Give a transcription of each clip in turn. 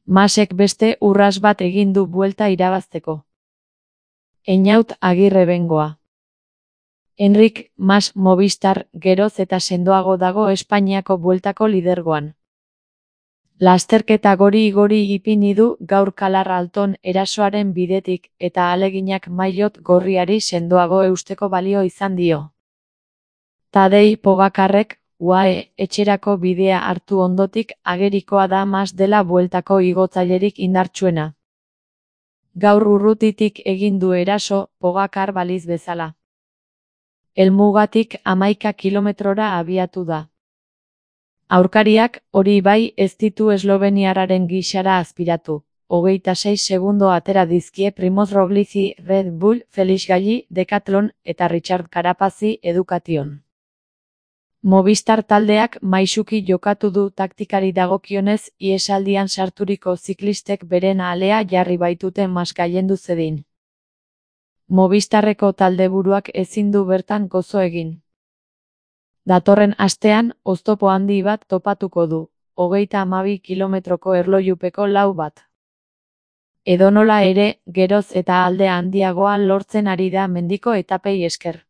Masek beste urras bat egin du buelta irabazteko. Einaut Agirre Bengoa. Enrik Mas Movistar geroz eta sendoago dago Espainiako bueltako lidergoan. Lasterketa gori-gori ipini du gaur Kalar Alton erasoaren bidetik eta ahaleginak maillot gorriari sendoago eusteko balio izan dio. Tadej Pogacarrek UAE etxerako bidea hartu ondotik agerikoa da Mas dela bueltako igotzailerik indartsuena. Gaur urrutitik egin du eraso Pogacar baliz bezala. Helmugatik 11 kilometrora abiatu da. Aurkariak hori bai ez ditu esloveniarraren gixara azpiratu. 26 segundo atera dizkie Primoz Roglici Red Bull, Felix Galli Decathlon eta Richard Carapazi Education. Movistar taldeak maisuki jokatu du taktikari dagokionez ihesaldian sarturiko ziklistek beren alea jarri baitute Mas gailendu zedin. Movistarreko taldeburuak ezin du bertan gozo egin. Datorren astean oztopo handi bat topatuko du, 32 kilometroko erlojupeko lau bat. Edonola ere, geroz eta alde handiagoa lortzen ari da mendiko etapei esker.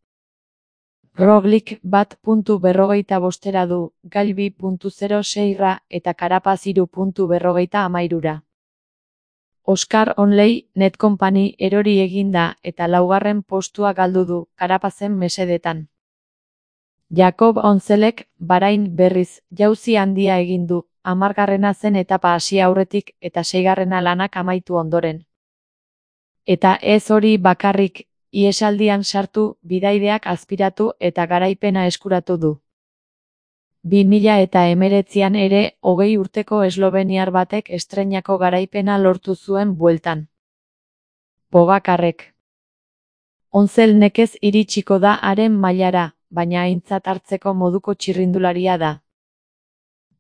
Roglic 1.45 du, Gail 2.06 eta Carapaz 3.53. Oscar Onley Netcompany erori eginda eta laugarren postua galdu du, Carapazen mesedetan. Jakob Onzelek Bahrain berriz jauzi handia egin du, 10. zen etapa hasi aurretik eta 6. lanak amaitu ondoren. Eta ez hori bakarrik, ihesaldian sartu, bidaideak azpiratu eta garaipena eskuratu du. 2019an ere 20 urteko esloveniar batek estreinako garaipena lortu zuen bueltan. Pogacarrek. Onzel nekez iritsiko da haren mailara, baina aintzat hartzeko moduko txirrindularia da.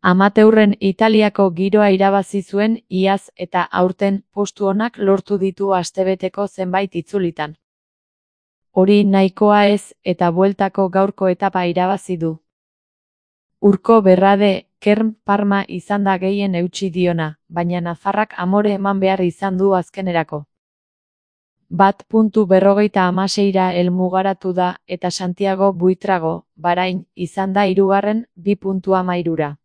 Amateurren Italiako giroa irabazi zuen iaz eta aurten postu onak lortu ditu astebeteko zenbait itzulitan. Hori nahikoa ez eta bueltako gaurko etapa irabazi du. Urko Berrade, Kern Parma izan da gehien eutsi diona, baina nafarrak amore eman behar izan du azkenerako. 1.56ra helmugaratu da eta Santiago Buitrago, Bahrain, izan da 3. 2.13ra.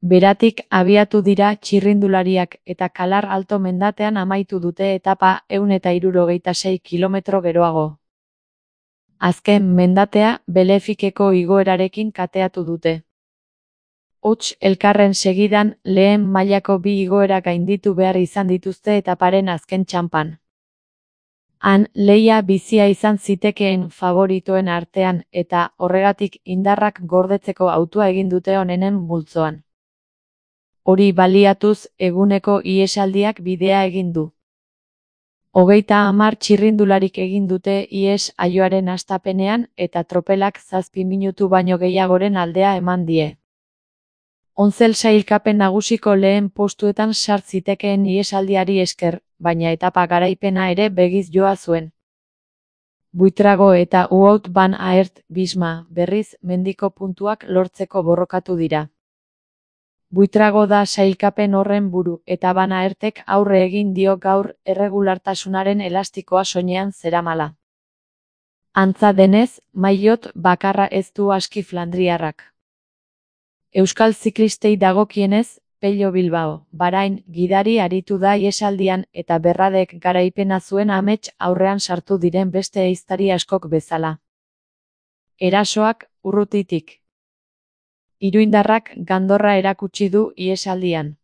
Beratik abiatu dira txirrindulariak eta Kalar Alto mendatean amaitu dute etapa 166 kilometro geroago. Azken mendatea Belefikeko igoerarekin kateatu dute. Hots elkarren segidan lehen mailako bi igoera gainditu behar izan dituzte etaparen azken txanpan. Han lehia bizia izan zitekeen favoritoen artean eta horregatik indarrak gordetzeko hautua egin dute onenen multzoan. Hori baliatuz eguneko ihesaldiak bidea egin du. 30 txirrindularik egin dute ihes aioaren hastapenean eta tropelak 7 minutu baino gehiagoren aldea eman die. Onzel sailkapen nagusiko lehen postuetan sart zitekeen ihesaldiari esker, baina etapa garaipena ere begiz joa zuen. Buitrago eta Wout van Aert Bisma berriz mendiko puntuak lortzeko borrokatu dira. Buitrago da sailkapen horren buru eta Van Aertek aurre egin dio gaur erregulartasunaren elastikoa soinean zeramala. Antza denez, maillot bakarra ez du aski flandriarrak. Euskal ziklistei dagokienez, Pello Bilbao, Bahrain, gidari aritu da ihesaldian eta Berradek garaipena zuen amets aurrean sartu diren beste ehiztari askok bezala. Erasoak, urrutitik. Iruindarrak gandorra erakutsi du ihesaldian.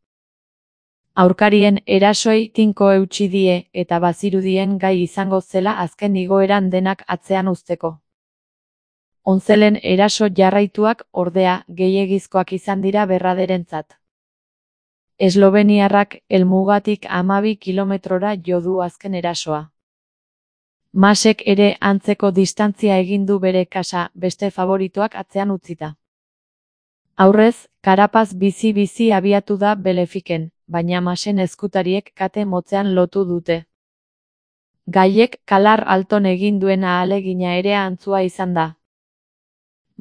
Aurkarien erasoi tinko eutsi die eta bazirudien gai izango zela azken igoeran denak atzean uzteko. Onzelen eraso jarraituak ordea gehiegizkoak izan dira Berraderentzat. Esloveniarrak helmugatik 12 kilometrora jo du azken erasoa. Masek ere antzeko distantzia egin du bere kasa beste favoritoak atzean utzita. Aurrez, Carapaz bizi-bizi abiatu da Belefiken, baina Masen eskutariek kate motzean lotu dute. Gaiek Kalar Alton egin duen ahalegina ere antzua izan da.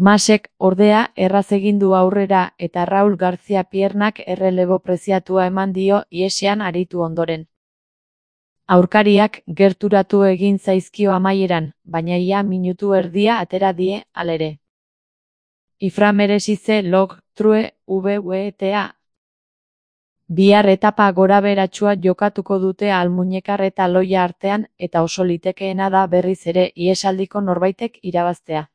Masek, ordea, erraz egin du aurrera eta Raul García Piernak errelebo preziatua eman dio ihesean aritu ondoren. Aurkariak gerturatu egin zaizkio amaieran, baina ia minutu erdia atera die, halere. Ifra merezize log, true, VWTA. Bihar etapa gorabeheratsua jokatuko dute Almuñekar eta Loia artean eta oso litekeena da berriz ere ihesaldiko norbaitek irabaztea.